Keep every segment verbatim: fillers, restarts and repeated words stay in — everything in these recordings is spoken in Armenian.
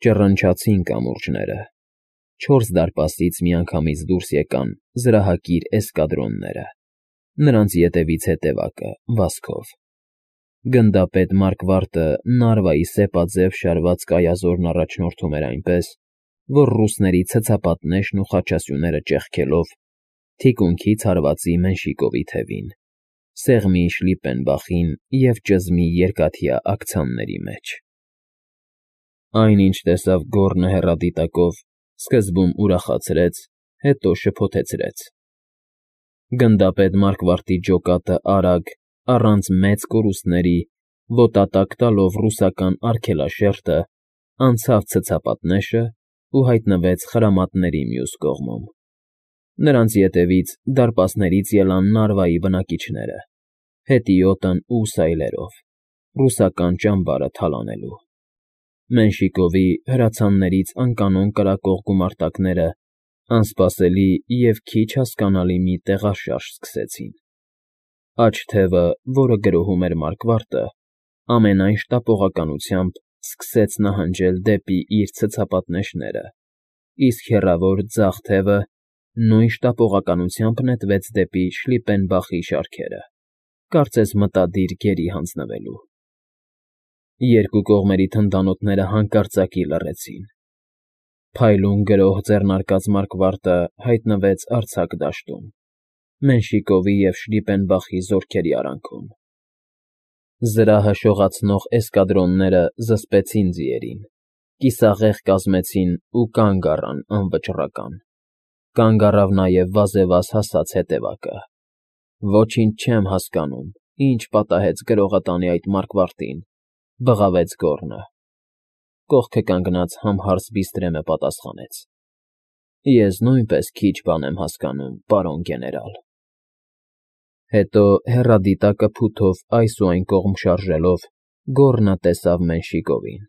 Ճռնչացին կամուրջները։ Չորս դարպասից միանգամից դուրս եկան զրահակիր էսկադրոնները, նրանց ետևից հետևակը՝ վազքով։ Գնդապետ Մարկվարտը Նարվայի սեպաձև շարված կայազորն առաջնորդում էր այնպես, որ ռուսների ցցապատնեշն ու խաչասյուները ճեղքելով թիկունքից հարվածի Մենշիկովի թևին, սեղմի Շլիպպենբախին և ճզմի երկաթյա աքցանների մեջ։ Այն, ինչ տեսավ Գոռնը հեռադիտակով, սկզբում ուրախացրեց, հետո շփոթեցրեց։ Գնդապետ Մարկվարտի ջոկատը արագ, առանց մեծ կորուստների, ոտատակ տալով ռուսական արգելաշերտը, անցավ ցցապատնեշն ու հայտնվեց խրամատների մյուս կողմում։ Նրանց ետևից դարպասներից ելան Նարվայի բնակիչները՝ հետիոտն ու սայլերով, ռուսական ճամբարը թալանելու։ Մենշիկովի հրացաններից անկանոն կրակող գումարտակները անսպասելի և քիչ հասկանալի մի տեղաշարժ սկսեցին։ Աջ թևը, որը գրոհում էր Մարկվարտը, ամենայն շտապողականությամբ սկսեց նահանջել դեպի իր ցցապատնեշները, իսկ հեռավոր ձախ թևը նույն շտապողականությամբ նետվեց դեպի Շլիպպենբախի շարքերը, կարծես մտադիր գերի հանձնվելու։ Երկու կողմերի թնդանոթները հանկարծակի լռեցին։ Փայլուն գրոհ ձեռնարկած Մարկվարտը հայտնվեց արձակ դաշտում, Մենշիկովի և Շլիպպենբախի զորքերի արանքում։ Զրահը շողացնող էսկադրոնները զսպեցին ձիերին, կիսաղեղ կազմեցին ու կանգ առան անվճռական։ Կանգ առավ նաև վազեվազ հասած հետևակը։ Ոչինչ չեմ հասկանում, ինչ պատահեց գրողը տանի այդ Մարկվարտին, բղավեց Գոռնը։ Կողքը կանգնած համհարց Բիստրեմը պատասխանեց. Ես նույնպես քիչ բան եմ հասկանում, պարոն գեներալ։ Հետո հեռադիտակը փութով այս ու այն կողմ շարժելով, Գոռնը տեսավ Մենշիկովին։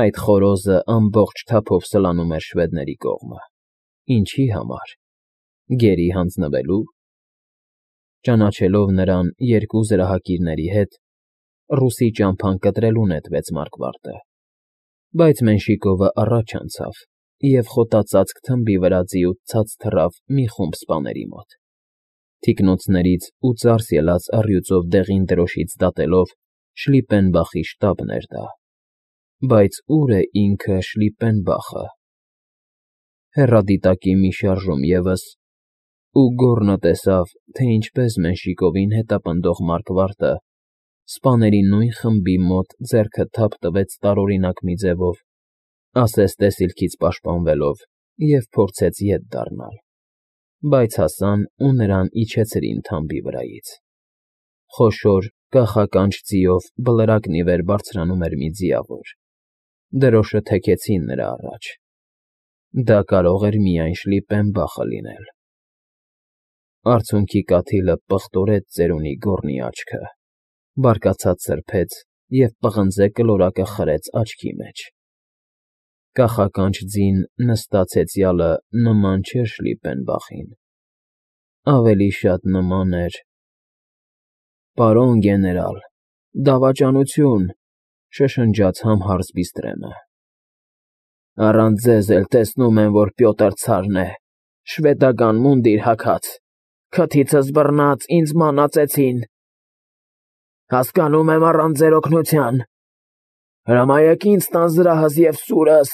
Այդ խորոզը ամբողջ թափով սլանում էր շվեդների կողմը։ Ինչի համար։ Գերի հանձնվելո՞ւ։ Ճանաչելով նրան երկու զրահակիրների հետ, ռուսի ճամփան կտրելու նետվեց Մարկվարտը։ Բայց Մենշիկովը առաջ անցավ և խոտածածկ թմբի վրա ձիուց ցած թռավ մի խումբ սպաների մոտ։ Թիկնոցներից ու ծարս ելած առյուծով դեղին դրոշից դատելով Շլիպպենբախի շտաբն էր դա։ Բայց ո՞ւր է ինքը Շլիպպենբախը։ Հեռադիտակի մի շարժում ևս, ու Գոռնը տեսավ, թե ինչպես Մենշիկովին հետապնդող Մարկվարտը սպաների նույն խմբի մոտ ձեռքը թափ տվեց տարօրինակ մի ձևով, ասես տեսիլքից պաշտպանվելով, և փորձեց ետ դառնալ, բայց հասան ու նրան իջեցրին թամբի վրայից։ Խոշոր, կախականջ ձիով բլրակն ի վեր բարձրանում էր մի ձիավոր։ Դրոշը թեքեցին նրա առաջ։ Դա կարող էր միայն Շլիպպենբախը լինել։ Արցունքի կաթիլը պղտորեց ծերունի Գոռնի աչքը, բարկացած սրբեց և պղնձե կլորակը խրեց աչքի մեջ։ Կախականջ ձին նստած հեծյալը նման չէր Շլիպպենբախին, ավելի շատ նման էր… Պարոն գեներալ, դավաճանություն, շշնջաց համհարց Բիստրեմը։ Առանց ձեզ էլ տեսնում եմ, որ Պյոտր ցարն է, շվեդական մունդիր հագած, քթիցս բռնած ինձ մանածեցին։ Հասկանում եմ առանց ձեր օգնության… Հրամայեք ինձ տան զրահս և սուրս…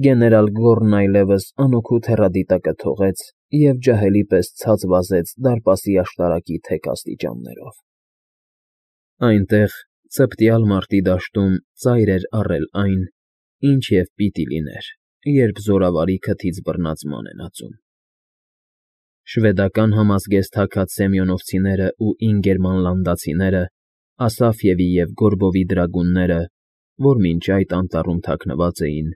Գեներալ Գոռնն այլևս անօգուտ հեռադիտակը թողեց և ջահելի պես ցած վազեց դարպասի աշտարակի թեք աստիճաններով։ Այնտեղ, ցպտյալ մարտի դաշտում ծայր էր առել այն, ինչ և պիտի լիներ, երբ զորավարի քթից բռնած ման են ածում։ Շվեդական համազգեստ հագած սեմյոնովցիներն ու ինգերմանլանդացիները, Ասաֆյևի և Գորբովի դրագունները, որ մինչ այդ անտառում թաքնված էին,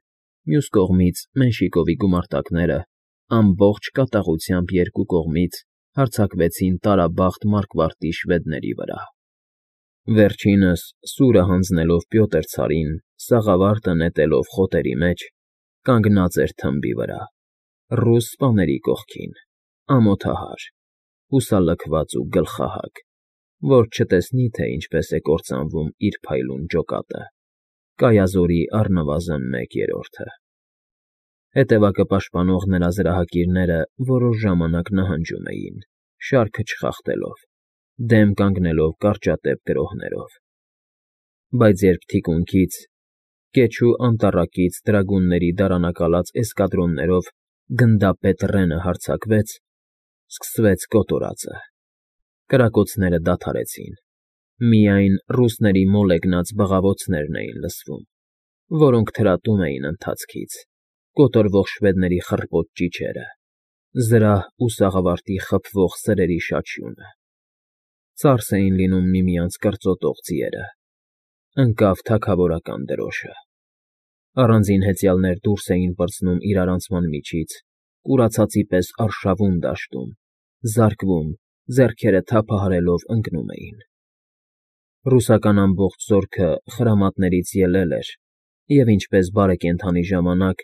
մյուս կողմից Մենշիկովի գումարտակները, ամբողջ կատաղությամբ երկու կողմից հարձակվեցին տարաբախտ Մարկվարտի շվեդների վրա։ Վերջինս, սուրը հանձնելով Պյոտր ցարին, սաղավարտը նետելով խոտերի մեջ, կանգնած էր թմբի վրա, ռուս սպաների կողքին, ամոթահար, հուսալքված ու գլխահագ, որ չտեսնի, թե ինչպես է կործանվում իր փայլուն ջոկատը։ Կայազորի առնվազն մեկ երրորդը։ Հետևակը պաշտպանող նրա զրահակիրները որոշ ժամանակ նահանջում էին, շարքը չխախտելով, դեմ կանգնելով կարճատև գրոհներով։ Բայց երբ թիկունքից, կեչու անտառակից դրագունների դարանակալած էսկադրոններով գնդապետ Ռենը հարձակվեց, սկսվեց կոտորածը։ Կրակոցները դադարեցին, միայն ռուսների մոլեգնած բղավոցներն էին լսվում, որոնք թրատում էին ընթացքից, կոտորվող շվեդների խռպոտ ճիչերը, զրահ ու սաղավարտի խփվող սրերի շաչյունը։ Ծարս էին լինում միմյանց կրծոտող ձիերը։ Ընկավ թագավորական դրոշը։ Առանձին հեծյալներ դուրս էին պրծնում իրարանցման միջից, կուրացածի պես արշավում դաշտում, զարկվում, ձեռքերը թափահարելով ընկնում էին։ Ռուսական ամբողջ զորքը խրամատներից ելել էր, և ինչպես բարեկենդանի ժամանակ,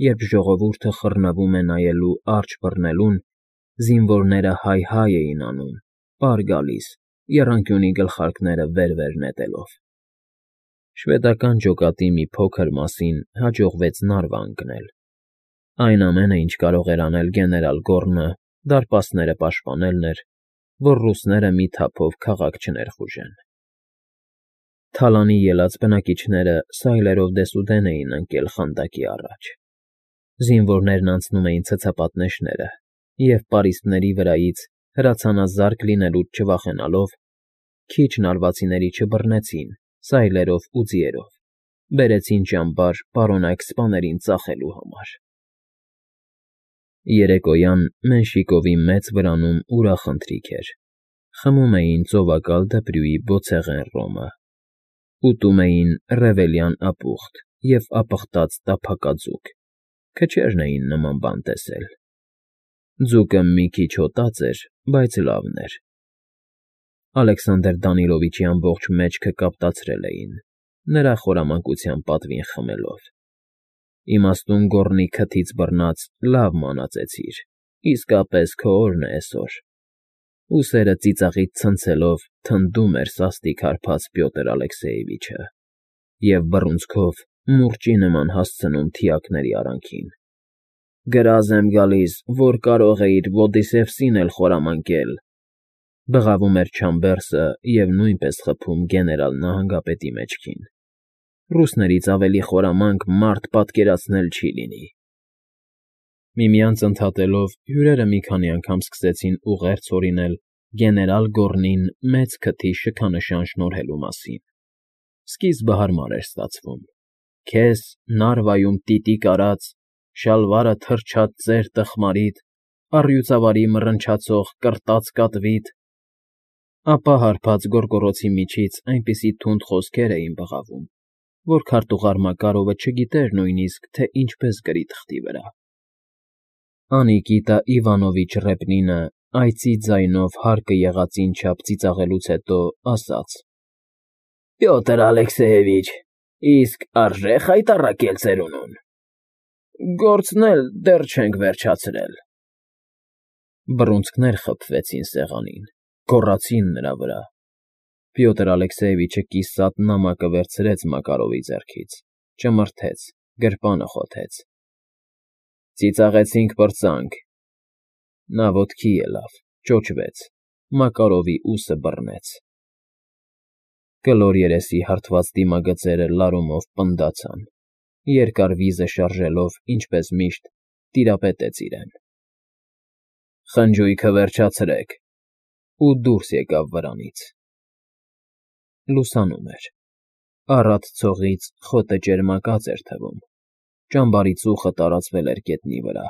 երբ ժողովուրդը խռնվում է նայելու արջը բռնելուն, զինվորները հայ֊հայ էին անում, պար գալիս, եռանկյունի գլխարկները վեր֊վեր նետելով։ Շվեդական ջոկատի մի փոքր մասին հաջողվեց նարվա ընկնել։ Այն ամենը, ինչ կարող էր անել գեներալ Գոռնը, դարպասները պաշտպանելն էր, որ ռուսները մի թափով քաղաք չներխուժեն։ Թալանի ելած բնակիչները սայլերով դեսուդեն էին ընկել խանդակի առաջ։ Զինվորներն անցնում էին ցցապատնեշները և, պարիսպների վրայից հրացանազարկ լինելուց չվախենալով, քիչ նարվածիների չբռնեցին սայլերով ու ձիերով, բերեցին ճամբար պարոնայք սպաներին ծախելու համար։ Երեկոյան Մենշիկովի մեծ վրանում ուրախ ընթրիք էր։ Խմում էին ծովակալ դպրյուի բոցեղեն ռոմը, ուտում էին ռևելյան ապուխտ և ապխտած տափակաձուկ, քչերն էին նման բան տեսել։ Ձուկը մի քիչ հոտած էր, բայց լավն էր։ Ալեքսանդր Դանիլովիչի ամբողջ մեջքը կապտացրել էին, նրա խորամանկության պատվին խմելով։ Իմաստուն Գոռնի քթից բռնած լավ մանածեցիր, իսկապես քո օրն է էսօր։ Ուսերը ծիծաղից ցնցելով թնդում էր սաստիկ հարբած Պյոտր Ալեքսեևիչը և բռունցքով մուրճի նման հասցնում թիակների արանքին։ Գրազ եմ գալիս, որ կարող էիր Ոդիսևսին էլ խորամանկել,֊ բղավում էր Չամբերսը և նույնպես խփում գեներալ նահանգապետի մեջքին։ Ռուսներից ավելի խորամանկ մարդ պատկերացնել չի լինի։ Միմյանց ընդհատելով՝ հյուրերը մի քանի անգամ սկսեցին ուղերձ հորինել գեներալ Գոռնին մեծ քթի շքանշան շնորհելու մասին։ Սկիզբը հարմար էր ստացվում։ Քեզ, Նարվայում տիտիկ արած, շալվարը թրջած ծեր տխմարիդ, առյուծավարի մռնչացող կռտած կատվիդ… Ապա հարբած գոռգոռոցի միջից այնպիսի թունդ խոսքեր էին բղավում, որ քարտուղար Մակարովը չգիտեր նույնիսկ, թե ինչպես գրի թղթի վրա։ Անիկիտա Իվանովիչ Ռեպնինը այծի ձայնով հարկը եղածին չափ ծիծաղելուց հետո ասաց. «Պյոտր Ալեքսեևիչ, իսկ արժե՞ խայտառակել ծերունուն»։ Գործն էլ դեռ չենք վերջացրել։ Բռունցքներ խփվեցին սեղանին, գոռացին նրա վրա։ Պյոտր Ալեքսեևիչը կիսատ նամակը վերցրեց Մակարովի ձեռքից, ճմրթեց, գրպանը խոթեց։ Ծիծաղեցինք, պրծանք։ Նա ոտքի ելավ, ճոճվեց, Մակարովի ուսը բռնեց։ Կլոր երեսի հարթված դիմագծերը լարումով պնդացան, երկար վիզը շարժելով, ինչպես միշտ, տիրապետեց իրեն։ Խնջույքը վերջացրեք, ու դուրս եկավ վրանից։ Լուսանում էր։ Առատ ցողից խոտը ճերմակած էր թվում, ճամբարի ծուխը տարածվել էր գետնի վրա։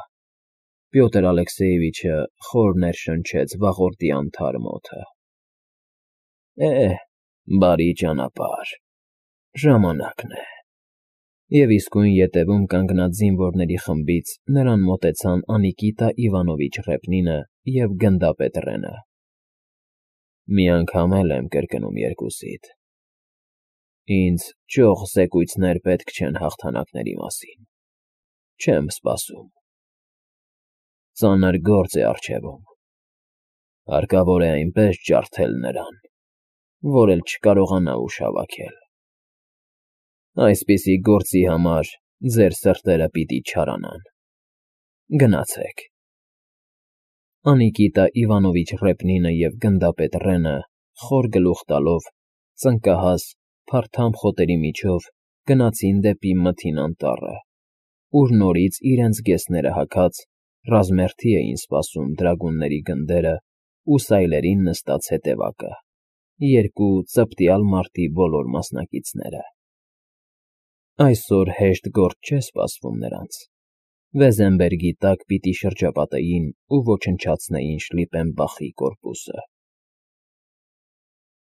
Պյոտր Ալեքսեևիչը խոր ներշնչեց վաղորդի անթարմ օդը։ Է՜, բարի ճանապարհ, ժամանակն է։ Եվ իսկույն ետևում կանգնած զինվորների խմբից նրան մոտեցան Անիկիտա Իվանովիչ Ռեպնինը և գնդապետ Ռենը։ Մի անգամ էլ եմ կրկնում երկուսիդ. ինձ ճոխ զեկույցներ պետք չեն հաղթանակների մասին, չեմ սպասում։ Ծանր գործ է առջևում, հարկավոր է այնպես ջարդել նրան, որ էլ չկարողանա ուժ հավաքել։ Այսպիսի գործի համար ձեր սրտերը պիտի չարանան։ Գնացեք։ Անիկիտա Իվանովիչ Ռեպնինը և գնդապետ Ռենը, խոր գլուխ տալով, ծնկահաս, փարթամ խոտերի միջով գնացին դեպի Մթին Անտառը, ուր նորից իրենց գեսները հագած ռազմերթի էին սպասում դրագունների գնդերն ու սայլերին նստած հետևակը, երկու ծպտյալ մարտի բոլոր մասնակիցները։ Այսօր հեշտ գործ չէ սպասվում նրանց. Վեզենբերգի տակ պիտի շրջապատեին ու ոչնչացնեին Շլիպենբախի կորպուսը։